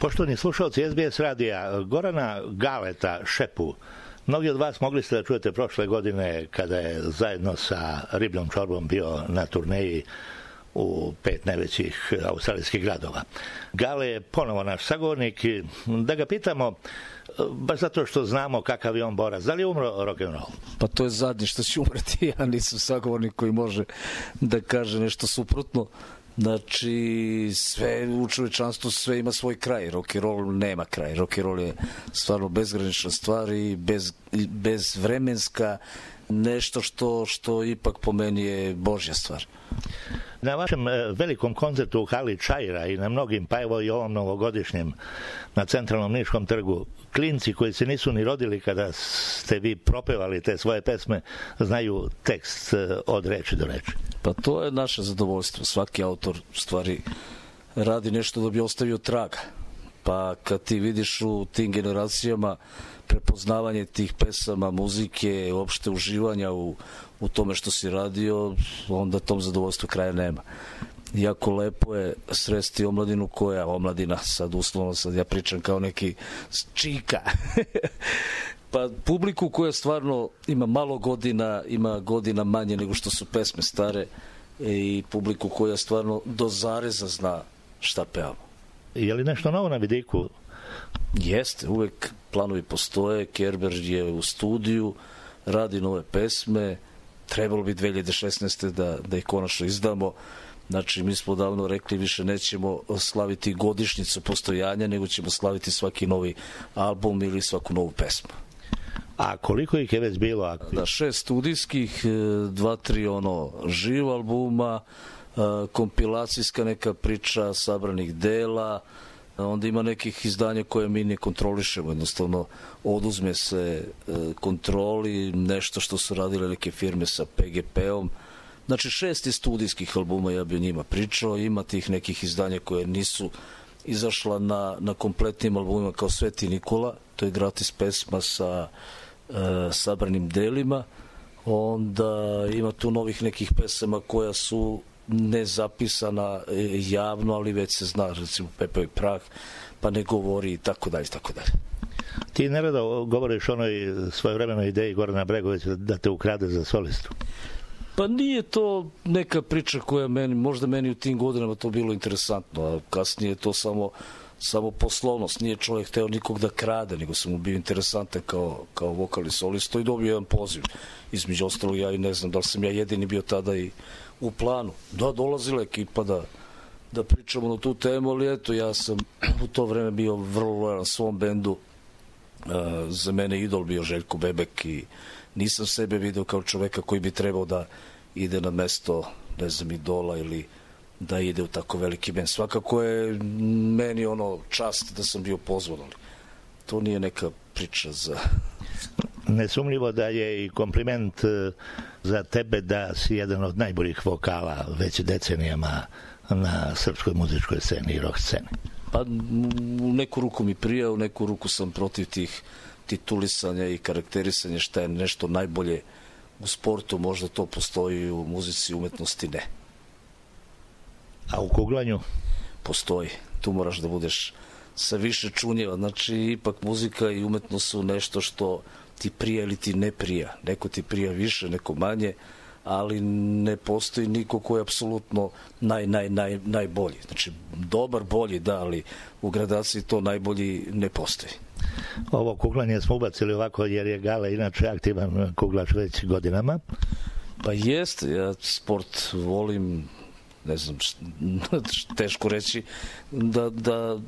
Poštovani slušalci SBS radija, Gorana Galeta Šepu, mnogi od vas mogli ste da čujete prošle godine kada je zajedno sa Ribljom čorbom bio na turneji u 5 najvećih australijskih gradova. Gale je ponovo naš sagovornik. Da ga pitamo, baš zato što znamo kakav je on borac, da li je umro rock'n'roll? Pa to je zadnje što će umreti. Ja nisam sagovornik koji može da kaže nešto suprotno. Znači, sve u čovečanstvu, sve ima svoj kraj. Rock'n'roll nema kraj. Rock'n'roll je stvarno bezgranična stvar i bezvremenska, nešto što ipak po meni je Božja stvar. Na vašem velikom koncertu u hali Čaira i na mnogim, pa evo i ovom novogodišnjem na Centralnom Niškom trgu, klinci koji se nisu ni rodili kada ste vi propevali te svoje pesme, znaju tekst od reči do reči. Pa to je naše zadovoljstvo. Svaki autor stvari radi nešto da bi ostavio traga. Pa kad ti vidiš u tim generacijama prepoznavanje tih pesama, muzike, uopšte uživanja u tome što si radio, onda tom zadovoljstvu kraja nema. Jako lepo je sresti omladinu omladina, sad uslovno, sad ja pričam kao neki čika, pa publiku koja stvarno ima malo godina, ima godina manje nego što su pesme stare i publiku koja stvarno do zareza zna šta pevamo. Je li nešto novo na vidiku? Jeste, uvek planovi postoje, Kerber je u studiju, radi nove pesme, trebalo bi 2016. da ih konačno izdamo. Znači, mi smo davno rekli, više nećemo slaviti godišnjicu postojanja, nego ćemo slaviti svaki novi album ili svaku novu pesmu. A koliko ih je već bilo? Da, 6 studijskih, 2-3 živ albuma, kompilacijska neka priča sabranih dela, onda ima nekih izdanja koje mi ne kontrolišemo, jednostavno oduzme se kontroli, nešto što su radile neke firme sa PGP-om. Znači 6 studijskih albuma, ja bi o njima pričao, ima tih nekih izdanja koje nisu izašla na kompletnim albumima kao Sveti Nikola, to je gratis pesma sa sabranim delima, onda ima tu novih nekih pesama koja su nezapisana javno, ali već se zna, recimo Pepeo i prah, pa ne govori i tako dalje, tako dalje. Ti nerado govoriš o onoj svojevremenoj ideji Gorana Bregovića da te ukrade za solistu. Pa nije to neka priča koja možda meni u tim godinama to bilo interesantno, a kasnije je to samo poslovnost. Nije čovjek hteo nikog da krade, nego sam mu bio interesantan kao vokalni solista i dobio jedan poziv. Između ostalog, ja i ne znam da li sam ja jedini bio tada i u planu. Da, dolazila ekipa da pričamo na tu temu, ali eto, ja sam u to vreme bio vrlo lojalan svom bendu. Za mene idol bio Željko Bebek i nisam sebe video kao čoveka koji bi trebao da ide na mesto, ne znam, idola ili da ide u tako veliki bend. Svakako je meni čast da sam bio pozvan, ali to nije neka priča za... Nesumljivo da je i kompliment za tebe da si jedan od najboljih vokala već decenijama na srpskoj muzičkoj sceni i rock sceni. Pa u neku ruku mi prija, u neku ruku sam protiv tih titulisanja i karakterisanja šta je nešto najbolje u sportu, možda to postoji, u muzici, umetnosti ne. A u kuglanju? Postoji. Tu moraš da budeš sa više čunjeva. Znači, ipak muzika i umetnost su nešto što ti prija ili ti ne prija. Neko ti prija više, neko manje, ali ne postoji niko ko je apsolutno najbolji. Znači, dobar, bolji, da, ali u gradaciji to najbolji ne postoji. Ovo kuglanje smo ubacili ovako jer je Gale inače aktivan kuglač već godinama. Pa jeste, ja sport volim, ne znam, teško reći da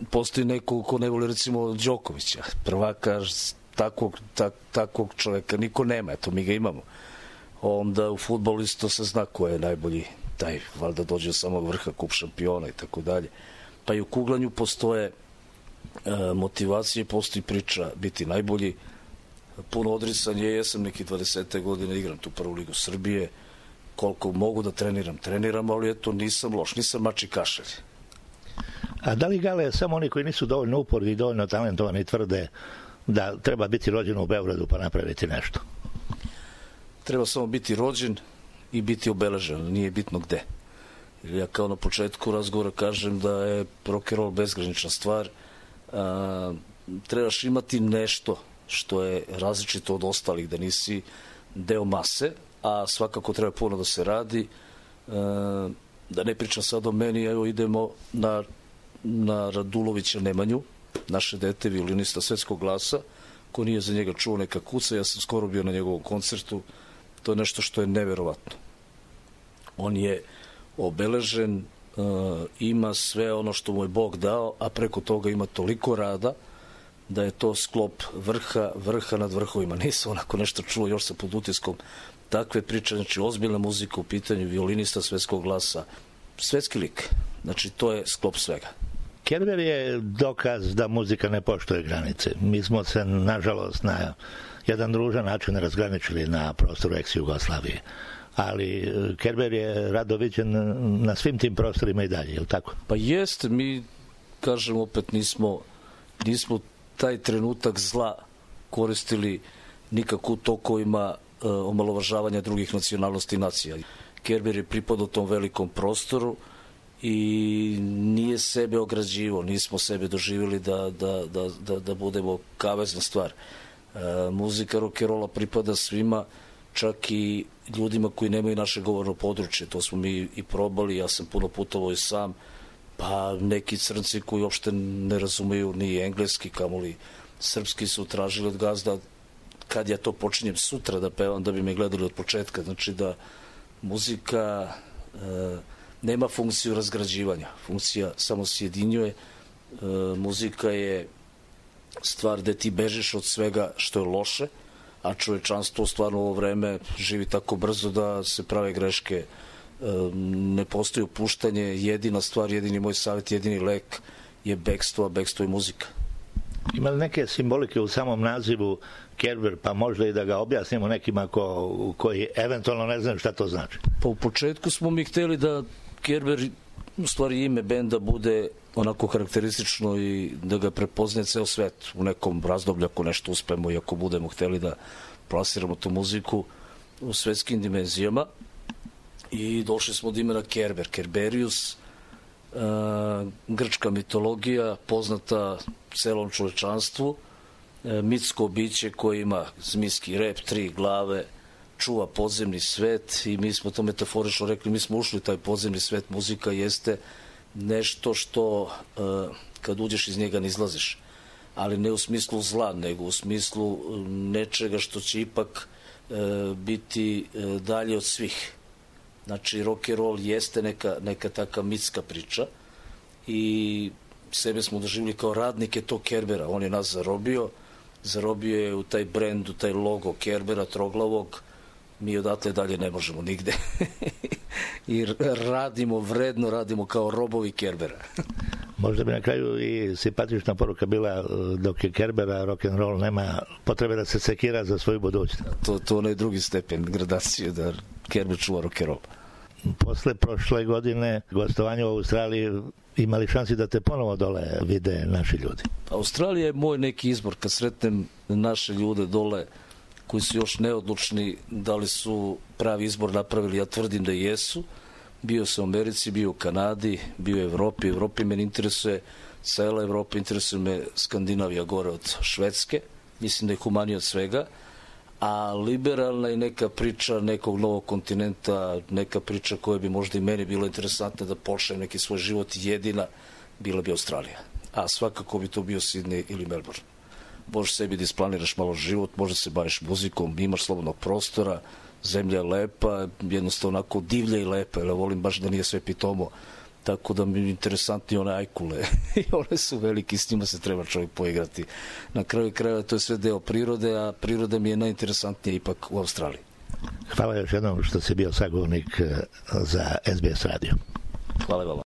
postoji neko ko ne voli recimo Đokovića, prvaka, takvog čoveka niko nema, eto mi ga imamo. Onda u fudbalu isto se zna ko je najbolji, taj valjda dođe do samog vrha, kup šampiona i tako dalje. Pa i u kuglanju postoje motivacije, postoji priča biti najbolji, puno odricanje, jesam neki 20. godine, igram tu prvu ligu Srbije, koliko mogu da treniram, ali eto nisam loš, nisam mači kašalj. A da li, Gale, samo oni koji nisu dovoljno uporni i dovoljno talentovani tvrde da treba biti rođen u Beogradu pa napraviti nešto? Treba samo biti rođen i biti obeležen, nije bitno gde. Ja kao na početku razgovora kažem da je rock'n'roll bezgranična stvar, trebaš imati nešto što je različito od ostalih, da nisi deo mase, a svakako treba puno da se radi. Da ne pričam sad o meni, evo idemo na Radulovića Nemanju, naše dete, violinista svetskog glasa, ko nije za njega čuo, neka kuca. Ja sam skoro bio na njegovom koncertu. To je nešto što je neverovatno. On je obeležen, ima sve ono što mu je Bog dao, a preko toga ima toliko rada da je to sklop vrha nad vrhovima. Nisam onako nešto čuo, još sam pod utiskom takve priče, znači ozbiljna muzika u pitanju, violinista svetskog glasa, svetski lik. Znači to je sklop svega. Kerber je dokaz da muzika ne poštuje granice. Mi smo se, nažalost, na jedan ružan način razgraničili na prostoru ex-Jugoslavije. Ali Kerber je rado viđen na svim tim prostorima i dalje, je li tako? Pa jeste, mi, kažem opet, nismo taj trenutak zla koristili nikako u tokovima omalovažavanja drugih nacionalnosti i nacija. Kerber je pripadao tom velikom prostoru i nije sebe ograđivo, nismo sebe doživjeli da budemo kavezna stvar. Muzika rock'n'rolla pripada svima, čak i ljudima koji nemaju naše govorno područje. To smo mi i probali, ja sam puno putovao i sam, pa neki crnci koji uopšte ne razumeju ni engleski, kamoli srpski, su tražili od gazda kad ja to počinjem sutra da pevam, da bi me gledali od početka. Znači da muzika nema funkciju razgrađivanja, funkcija samo sjedinjuje. Muzika je stvar gde ti bežiš od svega što je loše, a čovečanstvo stvarno u ovo vreme živi tako brzo da se prave greške. Ne postoji opuštanje, jedina stvar, jedini moj savjet, jedini lek je bekstvo, a bekstvo je muzika. Ima li neke simbolike u samom nazivu Kerber, pa možda i da ga objasnimo nekima koji eventualno ne znaju šta to znači? Pa u početku smo mi hteli da Kerber, u stvari ime benda, bude onako karakteristično i da ga prepozne ceo svet u nekom razdoblju ako nešto uspemo i ako budemo hteli da plasiramo tu muziku u svetskim dimenzijama. I došli smo od imena Kerber, Kerberius, grčka mitologija, poznata celom čovečanstvu, mitsko biće koje ima zmijski rep, 3 glave, čuva podzemni svet i mi smo to metaforično rekli, mi smo ušli u taj podzemni svet. Muzika jeste nešto što kad uđeš iz njega ne izlaziš, ali ne u smislu zla, nego u smislu nečega što će ipak biti dalje od svih. Znači rock and roll jeste neka taka mitska priča i sebe smo doživili kao radnike tog Kerbera. On je nas zarobio je u taj brend, u taj logo Kerbera troglavog. Mi odatle dalje ne možemo nigde. I vredno radimo kao robovi Kerbera. Možda bi na kraju i simpatična poruka bila, dok je Kerbera rock'n'roll, nema potrebe da se sekira za svoju budućnost. To onaj drugi stepen gradacije, da Kerber čuva rock'n'roll. Posle prošle godine gostovanja u Australiji, imali šansi da te ponovo dole vide naši ljudi? Australija je moj neki izbor. Kad sretnem naše ljude dole koji su još neodlučni da li su pravi izbor napravili, ja tvrdim da jesu. Bio sam u Americi, bio u Kanadi, bio u Evropi. Evropi me interesuje cela Evropa, interesuje me Skandinavija gore od Švedske. Mislim da je humanije od svega. A liberalna je neka priča nekog novog kontinenta, neka priča koja bi možda i meni bila interesantna da počnem neki svoj život, jedina bila bi Australija. A svakako bi to bio Sidney ili Melbourne. Možeš sebi da isplaniraš malo život, možda se baviš muzikom, imaš slobodnog prostora, zemlja je lepa, jednostavno onako divlja i lepa, jer volim baš da nije sve pitomo. Tako da mi je interesantni one ajkule. I one su veliki, s njima se treba čovjek poigrati. Na kraju krajeva to je sve deo prirode, a priroda mi je najinteresantnija ipak u Australiji. Hvala još jednom što si bio sagovornik za SBS radio. Hvala vama.